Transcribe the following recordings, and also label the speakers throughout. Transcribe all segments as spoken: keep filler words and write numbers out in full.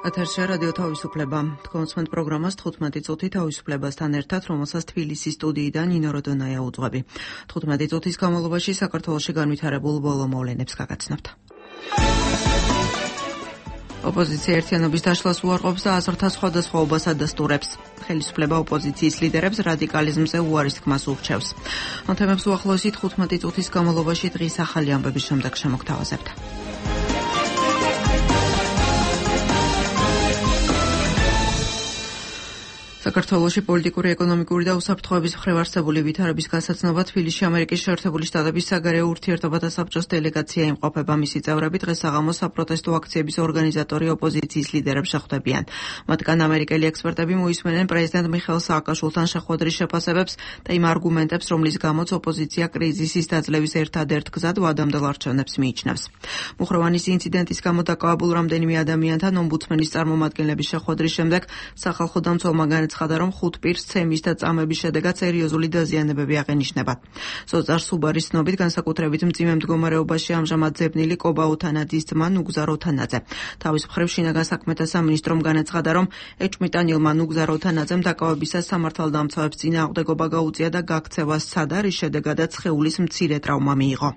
Speaker 1: ეთერში რადიო თავისუფლება. კონსმენტ პროგრამას თხუთმეტი წუთი თავისუფლებასთან ერთად, რომელსაც თბილისის სტუდიიდან ნინო როდონაია უძღვები. თხუთმეტი წუთის განმავლობაში საქართველოში განვითარებულ ბოლო მოვლენებს გაგაცნობთ. ოპოზიცია ერთიანობის დაშლას უარყოფს და აზრთა სხვადასხვაობას ადასტურებს. ხელისუფლება ოპოზიციის ლიდერებს რადიკალიზმზე უარის თქმას ურჩევს. ამ თემებს უახლოესი თხუთმეტი წუთის განმავლობაში დღის ახალი ამბების შემდეგ შემოგთავაზებთ. საქართველოში პოლიტიკური, ეკონომიკური და უსაფრთხოების მხრივ არსებული ვითარების გასაცნობა თბილისში ამერიკის შეერთებული შტატების საგარეო ურთიერთობათა საბჭოს დელეგაცია იმყოფება. მისი წევრები დღეს საღამოს საპროტესტო აქციების ორგანიზატორი ოპოზიციის ლიდერებს შეხვდებიან. მათგან ამერიკელი ექსპერტები მოისმენენ პრეზიდენტ მიხეილ სააკაშვილთან შეხვედრის შეფასებებს და იმ არგუმენტებს, რომლის გამოც ოპოზიცია კრიზისის დაძლევის ერთადერთ გზად ვადამდელ არჩევნებს მიიჩნევს. მუხროვანის ინციდენტის გამო დაკავებულ რამდენიმე ადამიანთან ომბუდსმენის წარმომადგენლების შეხვედრის შემდეგ სახალხო დამცველმა განაცხადა, რომ ხუთ პირს ცემის და წამების შედეგად სერიოზული დაზიანებები აღენიშნება. სოწარ სუბარის ცნობით, განსაკუთრებით მძიმე მდგომარეობაში ამჟამად ძებნილი კობა უთანაძის ძმა ნუგზარ უთანაძე. თავის მხრივ შინაგან საქმეთა სამინისტრომ განაცხადა, რომ ეჭვმიტანილმა ნუგზარ უთანაძემ დაკავებისას სამართალდამცავებს წინააღმდეგობა გაუწია და გაქცევა სცადა, რის შედეგადაც სხეულის მცირე ტრავმა მიიღო.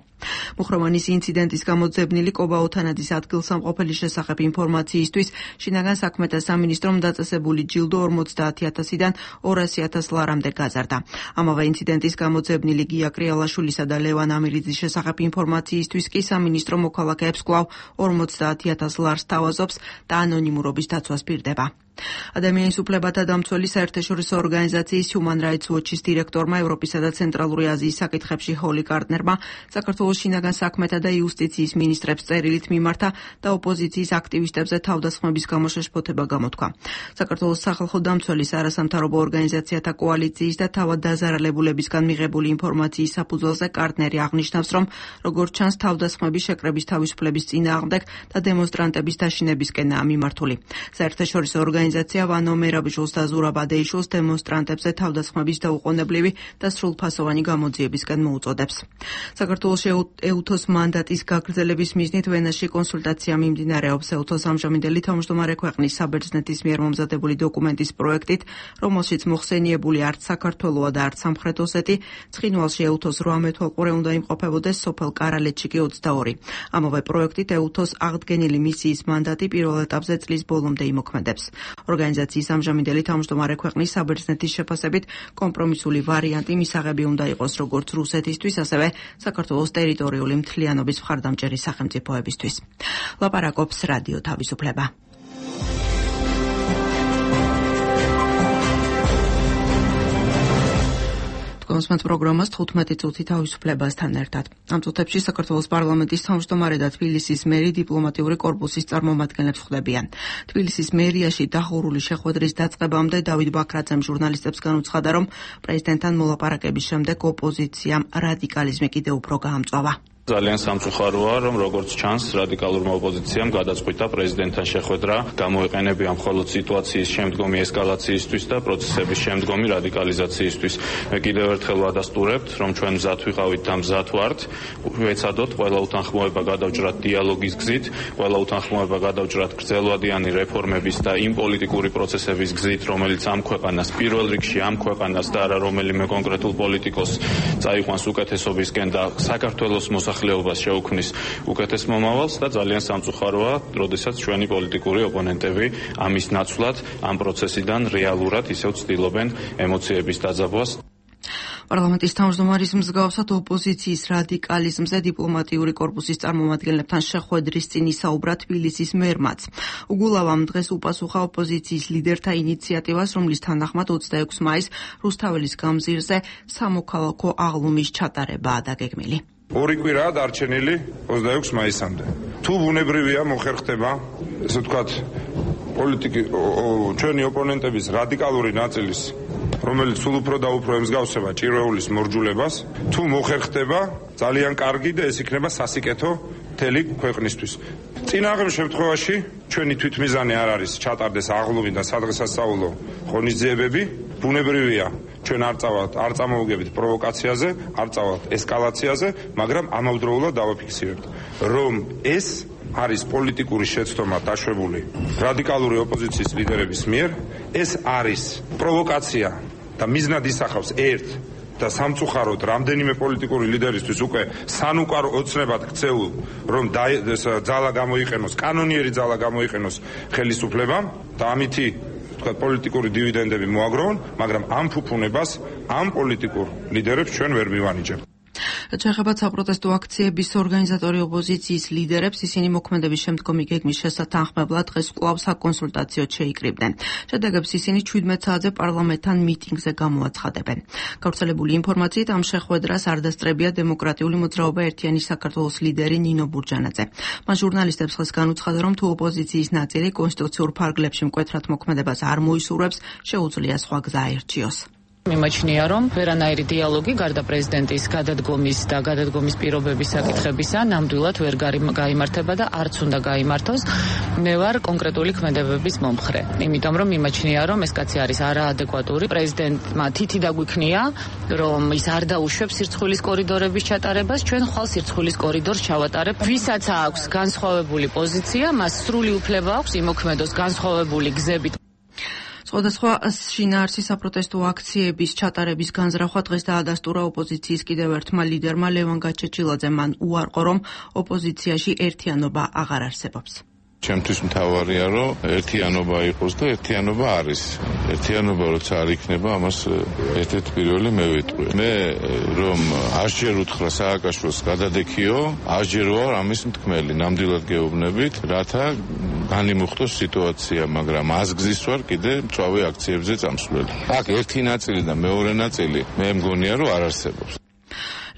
Speaker 1: მუხროვანის ინციდენტის გამო ძებნილი კობა უთანაძის ადგილსამყოფელის შესახებ ინფორმაციისთვის შინაგან საქმეთა სამინისტრომ დაწესებული ჯილდო ორმოცდაათი ათასიდან ორასი ათას ლარამდე გაზარდა. ამავე ინციდენტის გამო ძებნილი გია კრიალაშვილისა და ლევან ამირიძის შესახებ ინფორმაციისთვის კი სამინისტრო მოქალაქეებს კვლავ ორმოცდაათი ათას ლარს თავაზობს და ანონიმურობის დაცვას პირდება. ადამიანის უფლებათა დამცველი საერთაშორისო ორგანიზაციის Human Rights Watch-ის დირექტორმა, ევროპისა და ცენტრალური აზიის საკითხებში ჰოლი კარტნერმა საქართველოს შინაგან საქმეთა და იუსტიციის მინისტრებს წერილით მიმართა და ოპოზიციის აქტივისტებზე თავდასხმების გამო შეშფოთება გამოთქვა. საქართველოს სახალხო დამცველის არასამთავრობო ორგანიზაციათა კოალიციის და თავად დაზარალებულებისგან მიღებული ინფორმაციის საფუძველზე კარტნერი აღნიშნავს, რომ როგორც ჩანს, თავდასხმები შეკრების თავისუფლების წინააღმდეგ და დემონსტრანტების დაშინებისკენაა მიმართული. საერთაშორისო ორგანიზაცია ორგანიზაცია ვანო მერაბიჟულს და ზურაბ ადეიშვილს დემონსტრანტებზე თავდასხმების დაუყოვნებლივი და სრულფასოვანი გამოძიებისკენ მოუწოდებს. საქართველოს ეუთოს მანდატის გაგრძელების მიზნით ვენაში კონსულტაცია მიმდინარეობს. ეუთოს ამჟამინდელი თავმჯდომარე ქვეყნის საბერძნეთის მიერ მომზადებული დოკუმენტის პროექტით, რომელშიც მოხსენიებული არც საქართველოა და არც სამხრეთ ოსეთი, ცხინვალში ეუთოს რვამე თვალყურე უნდა იმყოფებოდეს, სოფელ კარალეთში კი ოცდაორი. ამავე პროექტით ეუთოს აღდგენილი მისიის მანდატი პირველ ეტაპზე წლის ბოლომდე იმოქმედებს. ორგანიზაციის ამჟამინდელი თავმჯდომარე ქვეყნის საბერძნეთის შეფასებით კომპრომისული ვარიანტი მისაღები უნდა იყოს როგორც რუსეთისთვის, ასევე საქართველოს ტერიტორიული მთლიანობის მხარდამჭერი სახელმწიფოებისთვის. ლაპარაკობს რადიო თავისუფლება. კონსმენტ პროგრამას თხუთმეტი წუთი თავისუფლებასთან ერთად. ამ წუთებში საქართველოს პარლამენტის თავმჯდომარე და თბილისის მერი დიპლომატიური კორპუსის წარმომადგენლებს ხვდებიან. თბილისის მერიაში დახურული შეხვედრის დაწყებამდე დავით ბაქრაძემ ჟურნალისტებს განუცხადა, რომ პრეზიდენტთან მოლაპარაკების შემდეგ ოპოზიციამ რადიკალიზმი კიდევ უფრო გაამწვავა.
Speaker 2: ძალიან სამწუხაროა, რომ როგორც ჩანს, რადიკალურმა ოპოზიციამ გადაწყვიტა პრეზიდენტთან შეხვედრა გამოეყენებია მხოლოდ სიტუაციის შემდგომი ესკალაციისთვის და პროცესების შემდგომი რადიკალიზაციისთვის. მე კიდევ ერთხელ ვადასტურებთ, რომ ჩვენ მზად ვიყავით და მზად ვართ, ვეცადოთ ყველა უთანხმოება გადავჭრათ დიალოგის გზით, ყველა უთანხმოება გადავჭრათ გრძელვადიანი რეფორმების და იმ პოლიტიკური პროცესების გზით, რომელიც ამ ქვეყანას პირველ რიგში ამ ქვეყანას და არა რომელიმე კონკრეტულ პოლიტიკოს წაიყვანს უკეთესობისკენ და საქართველოს მოსახლეობას ხლეობას შეუქმნის უკეთეს მომავალს და ძალიან სამწუხაროა, როდესაც ჩვენი პოლიტიკური ოპონენტები ამის ნაცვლად ამ პროცესიდან რეალურად ისევ ცდილობენ ემოციების დაძაბვას.
Speaker 1: პარლამენტის თავმჯდომარის მსგავსად ოპოზიციის რადიკალიზმზე დიპლომატიური კორპუსის წარმომადგენლებთან შეხვედრის წინ ისაუბრა თბილისის მერმაც. უგულავამ დღეს უპასუხა ოპოზიციის ლიდერთა ინიციატივას, რომლის თანახმად ოცდაექვსი მაისს რუსთაველის გამზირზე სამოქალაქო აღლუმის ჩატარებაა დაგეგმილი.
Speaker 3: ორი კვირაა დარჩენილი ოცდაექვსი მაისამდე. თუ ბუნებრივია მოხერხდება, ესე ვთქვათ, პოლიტიკი ჩვენი ოპონენტების რადიკალური ნაწილის, რომელიც სულ უფრო და უფრო ემსგავსება ჭირვეულის მორჯულებას, თუ მოხერხდება, ძალიან კარგი და ეს იქნება სასიკეთო მთელი ქვეყნისთვის. წინააღმდეგ შემთხვევაში ჩვენი თვითმიზანი არ არის ჩატარდეს აღლუმი და სადღესასწაულო ღონისძიებები, ბუნებრივია ჩვენ არ წავთ არ წამოვიგებით პროვოკაციაზე, არ წავთ ესკალაციაზე, მაგრამ ამავდროულად დავაფიქსირებთ, რომ ეს არის პოლიტიკური შეცდომა დაშვებული რადიკალური ოპოზიციის ლიდერების მიერ, ეს არის პროვოკაცია და მიზნად ისახავს ერთ და სამწუხაროდ რამდენიმე პოლიტიკური ლიდერისთვის უკვე სანუკარო ოცნებად ქცეულ, რომ ძალა გამოიყენოს, კანონიერი ძალა გამოიყენოს ხელისუფლებამ და ამითი თქვა პოლიტიკური დივიდენდები მოაგროვონ, მაგრამ ამ ფუფუნებას ამ პოლიტიკურ ლიდერებს ჩვენ ვერ მივანიჭებთ.
Speaker 1: Ჩეხებად საპროტესტო აქციების ორგანიზატორი ოპოზიციის ლიდერებს ისინი მოქმედების შემდგომი გეგმის შესათანხმებლად დღეს კვლავ საკონსულტაციოდ შეიკრიბნენ. შედეგებს ისინი შვიდმეტ საათზე პარლამენტთან მიტინგზე გამოაცხადებენ. გავრცელებული ინფორმაციით ამ შეხვედრას არ დასწრებია დემოკრატიული მოძრაობა ერთიანი საქართველოს ლიდერი ნინო ბურჯანაძე. მან ჟურნალისტებს ხეს განუცხადა, რომ თუ ოპოზიციის ნაწილი კონსტიტუციურ ფარგლებში მკვეთრად მოქმედებას არ მოისურვებს, შეუძლია სხვა გზა აერჩიოს.
Speaker 4: მიმაჩნია, რომ ვერანაირი დიალოგი გარდა პრეზიდენტის გადადგომის და გადადგომის პირობების საკითხებისა ნამდვილად ვერ გაიმართება და არც უნდა გაიმართოს. მე ვარ კონკრეტული ქმედებების მომხრე. იმიტომ რომ მიმაჩნია, რომ ეს კაცი არის არაადეკვატური. პრეზიდენტმა თითი დაგვიქნია, რომ ის არ დაუშვებს სირცხვილის კორიდორების ჩატარებას, ჩვენ ხვალ სირცხვილის კორიდორს ჩავატარებ. ვისაც აქვს განსხვავებული პოზიცია, მას სრული უფლება აქვს იმოქმედოს განსხვავებული გზებით.
Speaker 1: სხვადასხვა შინაარსი საპროტესტო აქციების ჩატარების განზრახვა დღეს დაადასტურა ოპოზიციის კიდევ ერთმა ლიდერმა ლევან გაჩეჩილაძემ. მან უარყო, რომ ოპოზიციაში ერთიანობა აღარ არსებობს.
Speaker 5: ჩემთვის მთავარია, რომ ერთიანობა იყოს და ერთიანობა არის. ერთიანობა როცა არ იქნება, ამას ერთ-ერთი პირველი მე ვიტყვი. მე რომ ასჯერ უთხრა სააკაშვილს გადადექიო, ასჯერ ვარ ამის მთქმელი, ნამდვილად გეუბნებით, რათა განიმუხტოს სიტუაცია, მაგრამ აზგზის ვარ კიდე მწვავე აქციებზე წამსვლელი. აქ ერთი ნაწილი და მეორე ნაწილი მე მგონია, რომ არ არსებობს.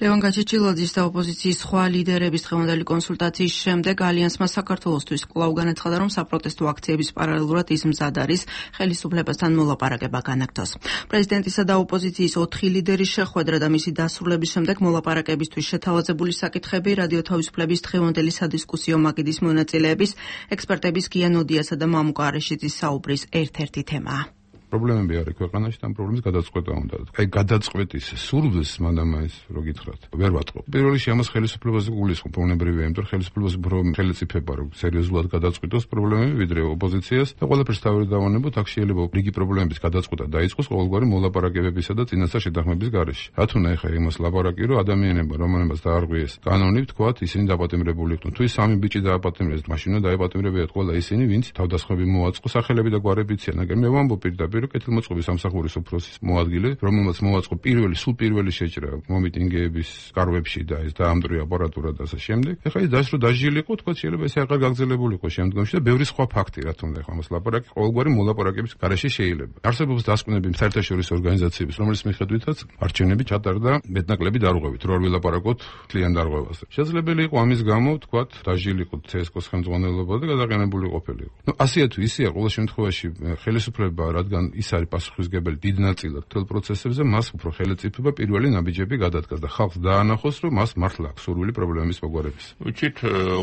Speaker 1: ლევან გაჩეჩილაძის და ოპოზიციის სხვა ლიდერების დღევანდელი კონსულტაციის შემდეგ ალიანსმა საქართველოსთვის კვლავ განაცხადა, რომ საპროტესტო აქციების პარალელურად ის მზად არის ხელისუფლებასთან მოლაპარაკება განაგრძოს. პრეზიდენტისა და ოპოზიციის ოთხი ლიდერის შეხვედრა და მისი დასრულების შემდეგ მოლაპარაკებისთვის შეთავაზებული საკითხები რადიო თავისუფლების დღევანდელი სადისკუსიო მაგიდის მონაწილეების, ექსპერტების გია ნოდიასა და მამუკა არეშიძის საუბრის ერთ-ერთი თემაა.
Speaker 6: პრობლემები არის ქვეყანაში და ამ პრობლემის გადაწყვეტა უნდა. აი გადაწყვეტის სურვილს მანდამაის რო გითხრათ. ვერ ვატყობ. პირველ რიგში ამას ხელისუფლებაზე გულისხმობ, უნებრივია, იმიტომ რომ ხელისუფლებას უფრო ხელისუფლება რო სერიოზულად გადაწყვეტოს პრობლემები, ვიდრე ოპოზიციას და ყველაფერს თავი დავანებოთ, აქ შეიძლება რიგი პრობლემების გადაწყვეტა დაიწყოს ყოველგვარი მოლაპარაკებებისა და წინასწარ შეთანხმების გარეშე. რატომ ეხა იმას ლაპარაკი, რომ ადამიანებმა რომელმაც დაარღვიეს კანონი, თქვათ, ისინი დაპატიმრებული იყვნენ. თუ ის სამი ბიჭი დააპატიმრეს, მაშინ უნდა დააპატიმრებიათ ყველა ისინი, ვინც თავდასხმები მოაწყო, სახელები და გვარები იციან, მაგრამ მე ვამბობ პირდაპირ კეთილმოწყობის სამსახურის უფროსის მოადგილე, რომელმაც მოაწყო პირველი, სულ პირველი შეჭრა მომიტინგეების კარვებში და ეს დაამდრი აპარატურა და ასე შემდეგ. ეხლა ის დაშრო დაჟილიყო, თქვა შეიძლება ეს აღარ გაგრძელებულიყო შემდგომში და ბევრი სხვა ფაქტი რა თქმა უნდა, ეხლა მას ლაპარაკი ყოველგვარი მოლაპარაკების გარეშე შეიძლება. არსებობს დასკვნები საერთაშორისო ორგანიზაციების, რომელიც მიხედვითაც არჩევნები ჩატარდა მეტნაკლები დარღვევით, რო არ ვილაპარაკოთ თლიან დარღვევაზე. შესაძლებელი იყო ამის გამო, თქვა, დაჟილიყო ცესკოს ხელმძღვანელობა და გადაყენებული ყოფილიყო. ნუ ასეა თუ ისეა, ყოველ შემთხვევაში ხელისუფლება, რადგან ის არის პასუხისმგებელი დიდ ნაწილად მთელ პროცესებზე, მას უფრო ხელისუფლება პირველი ნაბიჯები გადადგას და ხალხს დაანახოს, რომ მას მართლა აქვს სურვილი პრობლემის მოგვარების.
Speaker 7: Ვიცით,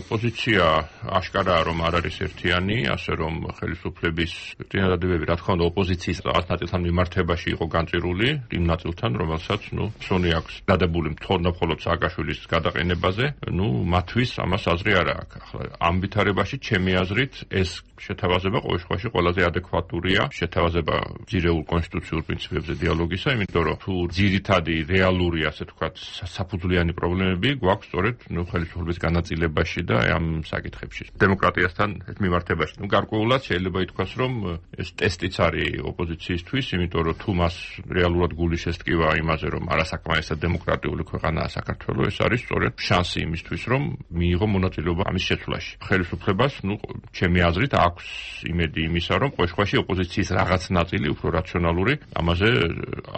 Speaker 7: ოპოზიცია აშკარაა, რომ არ არის ერთიანი, ასე რომ ხელისუფლების წინადადებები, რა თქმა უნდა, ოპოზიციის რაღაც ნაწილთან მიმართებაში იყო განწირული, იმ ნაწილთან, რომელსაც, ნუ, სუნი აქვს დადებული თორნა მხოლოდ სააკაშვილის გადაყენებაზე, ნუ, მათთვის ამას აზრი არ აქვს. ახლა ამ ვითარებაში ჩემი აზრით ეს შეთავაზება ყოველ შემთხვევაში ყველაზე ადეკვატურია, შეთავაზება ძირეულ კონსტიტუციურ პრინციპებზე დიალოგისა, იმიტომ რომ თუ ძირითადი რეალური, ასე თქვათ, საფუძვლიანი პრობლემები გვაქვს სწორედ, ნუ, ხელისუფლების განაწილებაში და ამ საკითხებში. დემოკრატიასთან მიმართებაში. ნუ, გარკვეულად შეიძლება ითქვას, რომ ეს ტესტიც არის ოპოზიციისთვის, იმიტომ რომ თუ მას რეალურად გული შესტკივა იმაზე, რომ არასაკმარისად დემოკრატიული ქვეყანაა საქართველო, ეს არის სწორედ შანსი იმისთვის, რომ მიიღო მონაწილეობა ამის შეცვლაში. ხელისუფლებას, ნუ, ჩემი აზრით, აქვს იმედი იმისა, რომ ყოველ შემთხვევაში ოპოზიციის რაღაც ნაწილი უფრო რაციონალური, ამაზე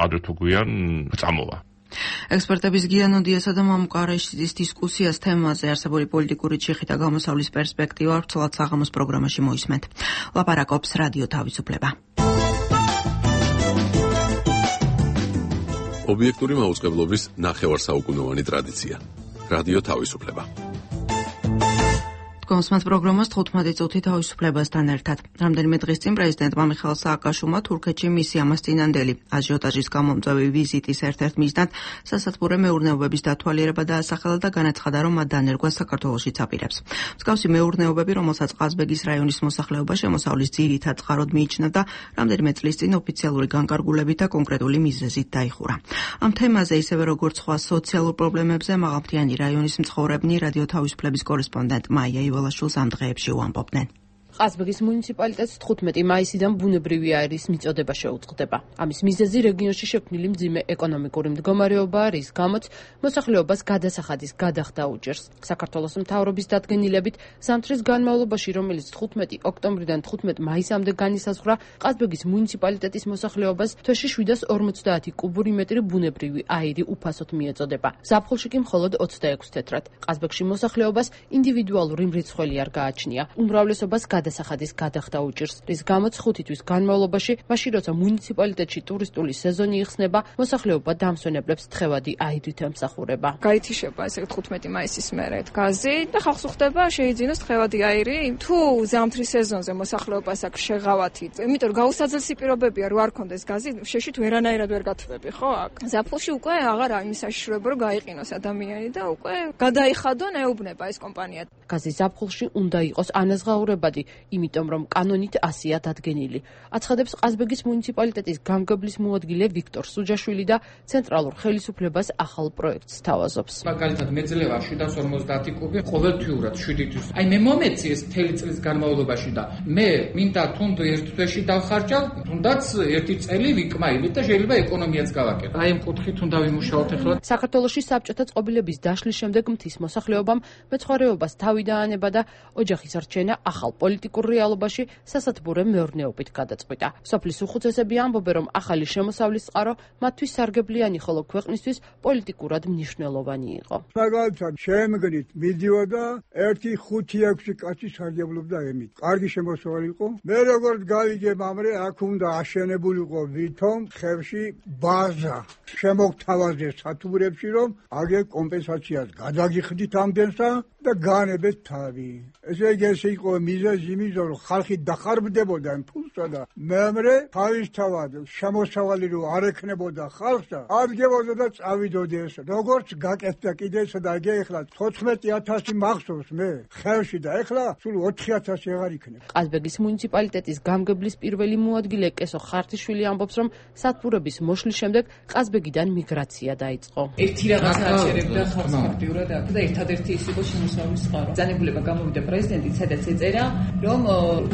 Speaker 7: ადრე თუ გვიან წამოვა.
Speaker 1: ექსპერტების გია ნოდიასა და მამუკა არეშიძის დისკუსიას თემაზე არსებული პოლიტიკური ჩიხი და გამოსავლის პერსპექტივა ვრცლად საღამოს პროგრამაში მოისმენთ. ლაპარაკობს რადიო თავისუფლება.
Speaker 8: ობიექტური მაუწყებლობის ნახევარსაუკუნოვანი ტრადიცია. რადიო თავისუფლება.
Speaker 1: გვამსმენთ პროგრამას თხუთმეტი წუთი თავისუფლებასთან ერთად. რამდენიმე დღის წინ პრეზიდენტმა მიხაილ სააკაშვილმა თურქეთში მისი ამას წინანდელი აჟიოტაჟის გამომწვევი ვიზიტის ერთ-ერთ მიზნად სასათბურე მეურნეობების დათვალიერება დაასახელა და განაცხადა, რომ მათ დანერგვა საქართველოშიც აპირებს. მსგავსი მეურნეობები, რომელსაც ყაზბეგის რაიონის მოსახლეობა შემოსავლის ძირითად წყაროდ მიიჩნევ და რამდენიმე წლის წინ ოფიციალური განკარგულებით და კონკრეტული მიზეზით დაიხურა. ამ თემაზე ისევე როგორც სხვა სოციალურ პრობლემებზე მაღალმთიანი რაიონის მცხოვრებნი რადიო თავისუფლების კორესპონდენტ მაია ივალაშვილს ამ დღეებში უამბობდნენ.
Speaker 8: ყაზბეგის მუნიციპალიტეტს თხუთმეტი მაისიდან ბუნებრივი აირის მიწოდება შეუწყდება. ამის მიზეზი რეგიონში შექმნილი მძიმე ეკონომიკური მდგომარეობაა, რის გამოც მოსახლეობას გადასახადის გადახდა უჭერს. საქართველოს მთავრობის დადგენილებით, ზამთრის განმავლობაში, რომელიც თხუთმეტი ოქტომბრიდან თხუთმეტი მაისამდე განისაზღვრა, ყაზბეგის მუნიციპალიტეტის მოსახლეობას თვეში შვიდას ორმოცდაათი კუბური მეტრი ბუნებრივი აირი უფასოდ მიეწოდება. ზაფხულში კი მხოლოდ ოცდაექვსი თეთრად. ყაზბეგში მოსახლეობას ინდივიდუალური მრიცხველი არ გააჩნია. უმრავლესობას გადასახადის გადახდა უჭირს, რის გამოც ხუთი თვის განმავლობაში, მაშინ როცა მუნიციპალიტეტში ტურისტული სეზონი იხსნება, მოსახლეობა დამსვენებლებს თხევადი აირით ემსახურება.
Speaker 9: გაითიშება ესე თხუთმეტი მაისის მერე გაზი და ხალხს უხდება შეიძინოს თხევადი აირი. თუ ზამთრის სეზონზე მოსახლეობას აქვს შეღავათი, იმიტომ რომ გაუსაძელსი პირობებია რო არ კონდეს გაზი, შეშით ვერანაირად ვერ გათვები, ხო აქ. ზაფხულში უკვე აღარ არის საშიშროება რომ გაიყინოს ადამიანი და უკვე გადაიხადონ ეუბნება ეს კომპანია.
Speaker 8: გაზი ზაფხულში უნდა იყოს ანაზღაურებადი, იმიტომ რომ კანონით ასია დადგენილი. აცხადებს ყაზბეგის მუნიციპალიტეტის გამგებლის მოადგილე ვიქტორ სუჯაშვილი და ცენტრალურ ხელისუფლებას ახალ პროექტს თავაზობს.
Speaker 10: მაგალითად მეძლევა შვიდას ორმოცდაათი კუბი ყოველთვიურად შვიდი თვის. აი მე მომეცი ეს მთელი წლის განმავლობაში და მე მინდა თუნდაც ერთ თვეში დავხარჯავ, თუნდაც ერთი წელი ვიკმაილით და შეიძლება ეკონომიაც გავაკეთო. აი ამ კუთხით უნდა ვიმუშაოთ ახლა.
Speaker 8: საქართველოში საბჭოთა წყობილების დაშლის შემდეგ მთის მოსახლეობამ მეცხვარეობას თავი დაანება და ოჯახის რჩენა ახალ პოლიტიკურ რეალობაში სასათბურე მეურნეობით გადაწყვიტა. სოფლის უხუცესები ამბობენ, რომ ახალი შემოსავლის წყარო მათთვის სარგებლიანი, ხოლო ქვეყნისთვის პოლიტიკურად მნიშვნელოვანი იყო.
Speaker 11: მაგალითად, შემგნით მიდიოდა ერთი ხუთი ექვსი კაცი სარგებლობდა ემით. კარგი შემოსავალი იყო. მე როგორც გავიგე მამრე, აქ უნდა აშენებულიყო ვითომ ხევში ბაზა. შემოგთავაზე სათბურებში, რომ აგერ კომპენსაციას გადაგიხდით ამდენსა და განებეთ თავი. ესე იგი ეს იყო მიზეზი იმისა, რომ ხალხი დახარბდებოდა იმ ფულსა და მეომრე თავისთავად შემოსავალი რო არ ექნებოდა ხალხსა, ადგებოდა და წავიდოდი ეს. როგორც გაკეთდა კიდე ესა და ეგ ეხლა თოთხმეტი ათასი მახსოვს მე ხევში და ეხლა სულ ოთხი ათასი აღარ იქნება.
Speaker 8: ყაზბეგის მუნიციპალიტეტის გამგებლის პირველი მოადგილე კესო ხარტიშვილი ამბობს, რომ სათბურების მოშლის შემდეგ ყაზბეგიდან მიგრაცია დაიწყო.
Speaker 12: ერთი რაღაცა აღწერებდა ხალხს ფაქტიურად აქ და ერთადერთი ის იყო შემოსავლის წყარო. ძალებულება გამოვიდა პრეზიდენტი, სადაც ეწერა, რომ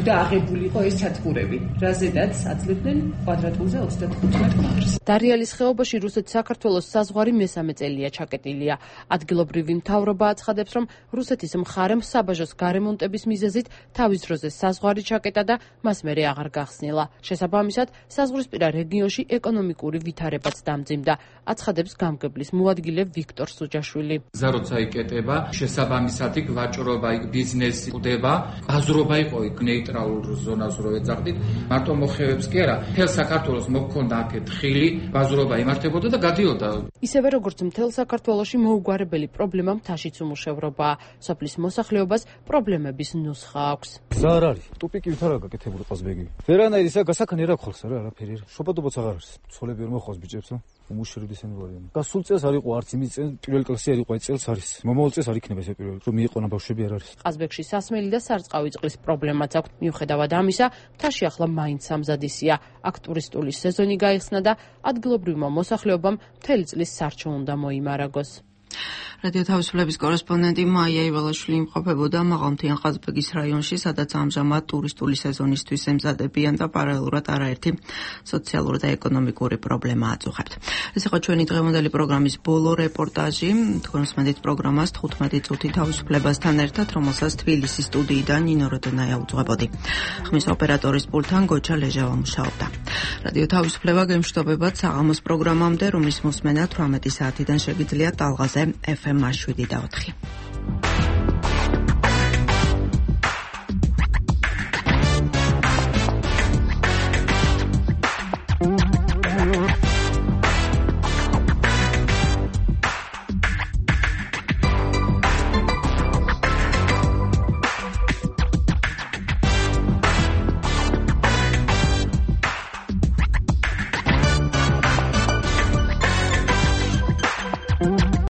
Speaker 12: უნდა აღებულიყო ეს სათბურები, რაზედაც აძლევდნენ კვადრატულზე ოცდათხუთმეტ მატრს.
Speaker 8: დარიალის ხეობაში რუსეთ-საქართველოს საზღვარი მესამე წელია ჩაკეტილია. ადგილობრივი მთავრობა აცხადებს, რომ რუსეთის მხარემ საბაჟოს გარემონტების მიზეზით თავის დროზე საზღვარი ჩაკეტა და მას მერე აღარ გახსნილა. შესაბამისად, საზღვრისპირა რეგიონში ეკონომიკური ვითარებაც დამძიმდა, აცხადებს გამგებლის მოადგილე ვიქტორ სუჯაშვილი.
Speaker 10: გზა როცა იკეტება, შესაბამისად იქ ვაჭრობა, იქ ბიზნესი ყდება, აზრობა იყო იქ ნეიტრალურ ზონას რო ეძახდით, მარტო მოხევებს კი არა, მთელ საქართველოს მოქონდა აქეთ ხილი, ბაზრობა იმართებოდა და გადიოდა.
Speaker 8: ისევე როგორც მთელ საქართველოში მოუგვარებელი პრობლემა მთაშიც უმუშევრობაა. სოფლის მოსახლეობას პრობლემების ნუსხა აქვს.
Speaker 13: გზა არ არის, ტუპიკი ვითარ აქვს გაკეთებული ყაზბეგი. ვერანაირი ისა გასახანი რა ხალხს არა, არაფერი. შობადობაც აღარ არის. ცოლები ვერ მოხავს ბიჭებსა. უმუშევრობისანი ვარიანტი. და სულ წელს არ იყო არც იმის წელს, პირველ კლასი არ იყო, აი წელს არის. მომავალ წელს არ იქნება ესე პირველ, რომ მიიყვანა ბავშვები არ არის.
Speaker 8: ყაზბეგში სასმელი და სარწყავი წყლის პრობლემაც აქვს. მიუხედავად ამისა, მთაში ახლა მაინც სამზადისია. აქ ტურისტული სეზონი გაიხსნა და ადგილობრივმა მოსახლეობამ მთელი წლის სარჩო უნდა მოიმარაგოს.
Speaker 1: რადიო თავისუფლების კორესპონდენტი მაია ივალაშვილი იმყოფებოდა მაღალმთიან ყაზბეგის რაიონში, სადაც ამჟამად ტურისტული სეზონისთვის ემზადებიან და პარალელურად არაერთი სოციალური და ეკონომიკური პრობლემა აწუხებთ. ეს იყო ჩვენი დღევანდელი პროგრამის ბოლო რეპორტაჟი. თქვენსმენდით პროგრამას თხუთმეტი წუთი თავისუფლებასთან ერთად, რომელსაც თბილისის სტუდიიდან ნინო როდონაია უძღვებოდი. ხმის ოპერატორის პულტთან გოჩა ლეჟავა მუშაობდა. რადიო თავისუფლება გემშვიდობებად საღამოს პროგრამამდე, რომლის მოსმენა თვრამეტი საათიდან შეგიძლიათ ტალღაზე ეფ ემ შვიდი და ოთხი.